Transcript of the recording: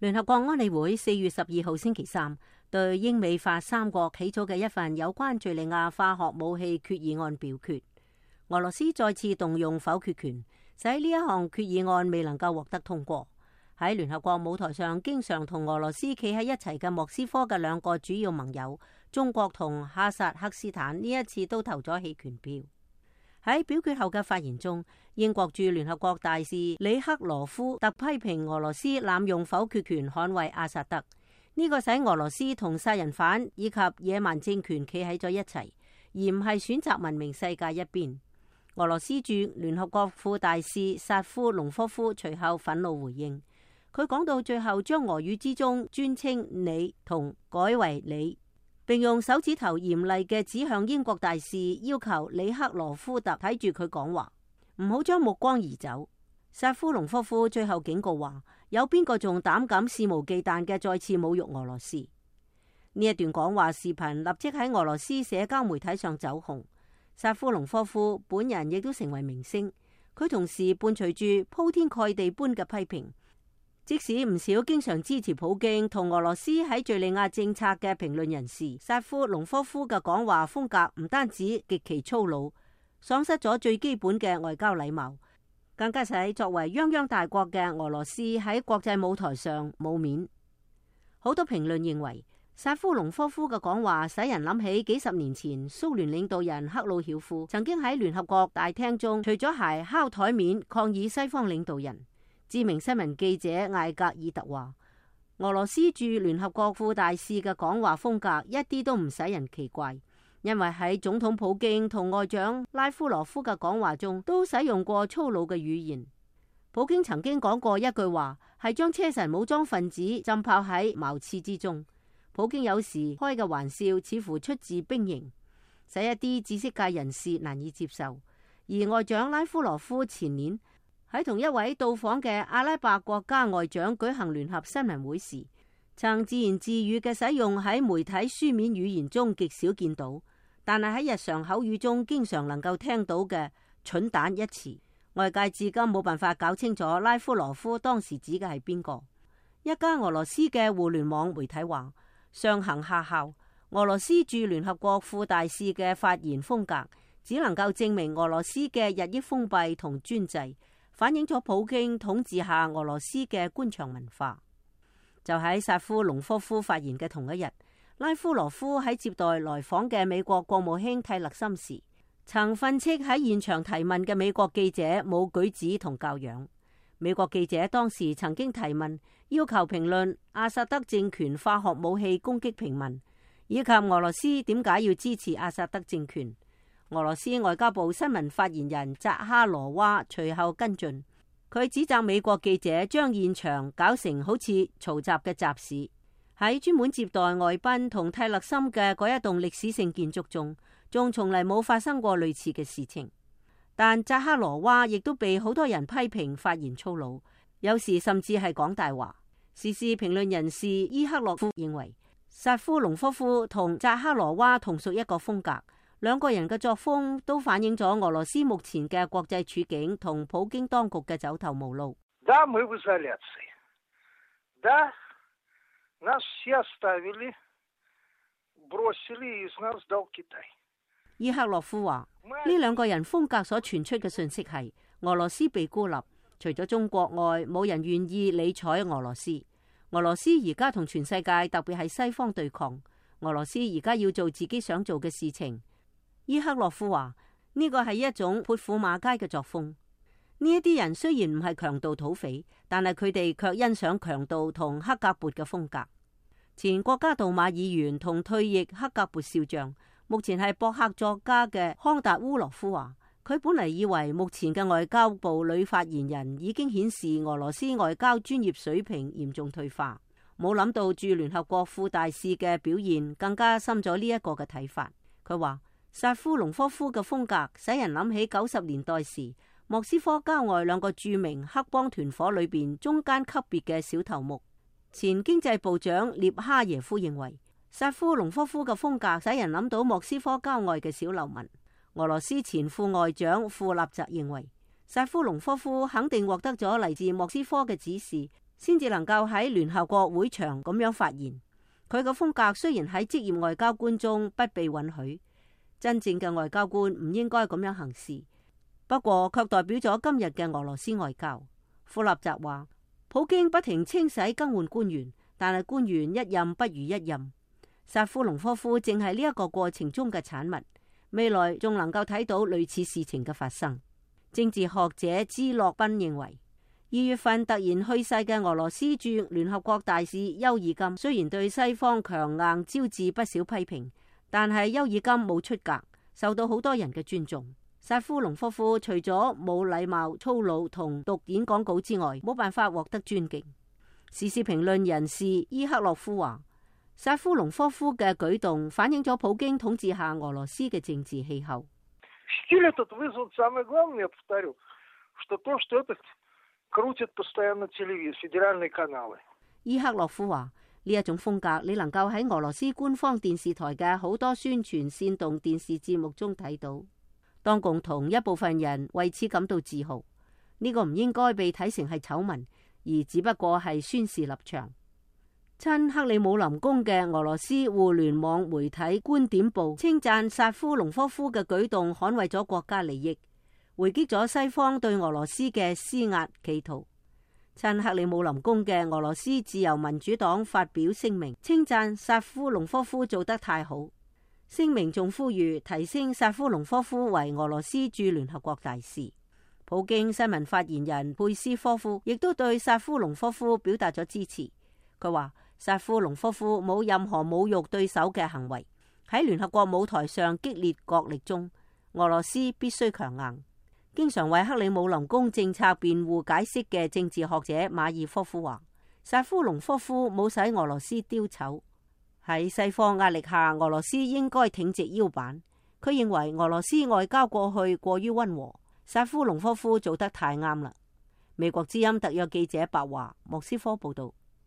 聯合國安理會4月12號星期三對英美法三國起草嘅一份有關敘利亞化學武器決議案表決，俄羅斯再次動用否決權，使呢一項決議案未能夠獲得通過。喺聯合國舞台上經常同俄羅斯企喺一齊嘅莫斯科嘅兩個主要盟友中國同哈薩克斯坦呢一次都投咗棄權票。喺表決後嘅發言中，英國駐聯合國大使里克羅夫特批評俄羅斯濫用否決權捍衛阿薩德，呢個使俄羅斯同殺人犯以及野蠻政權企喺咗一齊，而唔係選擇文明世界一邊。俄羅斯駐聯合國副大使薩夫隆科夫隨後憤怒回應，佢講到最後將俄語之中尊稱你同改為你，並用手指頭嚴厲嘅指向英國大使，要求里克羅夫特睇住佢講話，唔好將目光移走。薩夫隆科夫最後警告話，有邊個仲膽敢肆無忌憚嘅再次侮辱俄羅斯？呢一段講話視頻立即喺俄羅斯社交媒體上走紅，薩夫隆科夫本人亦都成為明星。佢同時伴隨住鋪天蓋地般嘅批評。即使唔少經常支持普京同俄羅斯喺敘利亞政策嘅評論人士，薩夫隆科夫嘅講話風格唔單止極其粗魯，喪失咗最基本嘅外交禮貌，更加使作為泱泱大國嘅俄羅斯喺國際舞台上冇面。好多評論認為，薩夫隆科夫嘅講話使人諗起幾十年前蘇聯領導人赫魯曉夫曾經喺聯合國大廳中除咗鞋敲台面抗議西方領導人。知名新聞記者艾格爾特話，俄羅斯駐聯合國副大使嘅講話風格一啲都唔使人奇怪，因為喺總統普京同外長拉夫羅夫嘅講話中都使用過粗魯嘅語言。普京曾經講過一句話，係將車臣武裝分子浸泡喺茅廁之中。普京有時開嘅玩笑似乎出自兵營，使一啲知識界人士難以接受。而外長拉夫羅夫前年喺同一位到訪嘅阿拉伯國家外長舉行聯合新聞會時，曾自言自語嘅使用喺媒體書面語言中極少見到，但係喺日常口語中經常能夠聽到嘅蠢蛋一詞，外界至今冇辦法搞清楚拉夫羅夫當時指嘅係邊個。一家俄羅斯嘅互聯網媒體話，上行下效，俄羅斯駐聯合國副大使嘅發言風格只能夠證明俄羅斯嘅日益封閉同專制，反映咗普京統治下俄羅斯嘅官場文化。就喺薩夫隆科夫發言嘅同一日，拉夫羅夫喺接待來訪嘅美國國務卿蒂勒森時，曾訓斥喺現場提問嘅美國記者冇舉止同教養。美國記者當時曾經提問，要求評論阿薩德政權化學武器攻擊平民，以及俄羅斯點解要支持阿薩德政權。俄羅斯外交部新聞發言人扎哈羅娃隨後跟進，佢指責美國記者將現場搞成好似嘈雜嘅集市。喺專門接待外賓同蒂勒森嘅嗰一棟歷史性建築中，仲從嚟冇發生過類似嘅事情。但扎哈羅娃亦都被好多人批評發言粗魯，有時甚至係講大話。時事評論人士伊克洛夫認為，薩夫隆科夫同扎哈羅娃同屬一個風格。兩個人嘅作風都反映咗俄羅斯目前嘅國際處境同普京當局嘅走投無路。伊克洛夫話，呢兩個人風格所傳出嘅信息係俄羅斯被孤立，除咗中國外，冇人願意理睬俄羅斯。俄羅斯而家同全世界，特別係西方對抗。俄羅斯而家要做自己想做嘅事情。伊克洛夫話，呢個係一種潑婦罵街嘅作風。呢一啲人雖然唔係強盜土匪，但係佢哋卻欣賞強盜同克格勃嘅風格。前國家杜馬議員同退役克格勃少將，目前係博客作家嘅康達烏羅夫話，佢本嚟以為目前嘅外交部女發言人已經顯示俄羅斯外交專業水平嚴重退化，冇諗到駐聯合國副大使嘅表現更加深咗呢一個嘅睇法。佢話，薩夫隆科夫嘅風格使人諗起90年代時莫斯科郊外兩個著名黑幫團伙裏邊中間級別嘅小頭目。前經濟部長列哈耶夫認為，薩夫隆科夫嘅風格使人諗到莫斯科郊外嘅小流民。俄羅斯前副外長庫納澤認為，薩夫隆科夫肯定獲得咗嚟自莫斯科嘅指示，先至能夠喺聯合國會場咁樣發言。佢嘅風格雖然喺職業外交官中不被允許，真正嘅外交官唔應該咁樣行事，不過卻代表咗今日嘅俄羅斯外交。庫納澤話，普京不停清洗更換官員，但係官員一任不如一任。薩夫隆科夫正係呢一個過程中嘅產物，未來仲能夠睇到類似事情嘅發生。政治學者茲洛賓認為，2月份突然去世嘅俄羅斯駐聯合國大使丘爾金，雖然對西方強硬招致不少批評，但係丘爾金冇出格，受到好多人嘅尊重。薩夫隆科夫除咗冇禮貌、粗魯同讀演講稿之外，冇辦法獲得尊敬。時事評論人士伊克洛夫話，薩夫隆科夫嘅舉動反映咗普京統治下俄羅斯嘅政治氣候。伊克洛夫話，呢一種風格你能夠喺俄羅斯官方電視台嘅好多宣傳煽動電視節目中睇到。當共同一部分人為此感到自豪，呢個唔應該被睇成係醜聞，而只不過係宣示立場。親克里姆林宮嘅俄羅斯互聯網媒體觀點報稱讚薩夫隆科夫嘅舉動捍衛咗國家利益，回擊咗西方對俄羅斯嘅施壓企圖。親克里姆林宮嘅俄羅斯自由民主黨發表聲明，稱讚薩夫隆科夫做得太好。聲明仲呼籲提升薩夫隆科夫為俄羅斯駐聯合國大使。普京新聞發言人佩斯科夫亦都對薩夫隆科夫表達咗支持。佢話薩夫隆科夫冇任何侮辱對手嘅行為。喺聯合國舞台上激烈角力中，俄羅斯必須強硬。經常為克里姆林宮政策辯護解釋嘅政治學者馬爾科夫話，薩夫隆科夫冇使俄羅斯丟醜。喺西方壓力下，俄羅斯應該挺直腰板。佢認為俄羅斯外交過去過於溫和，薩夫隆科夫做得太啱啦。美國之音特約記者白華莫斯科報道。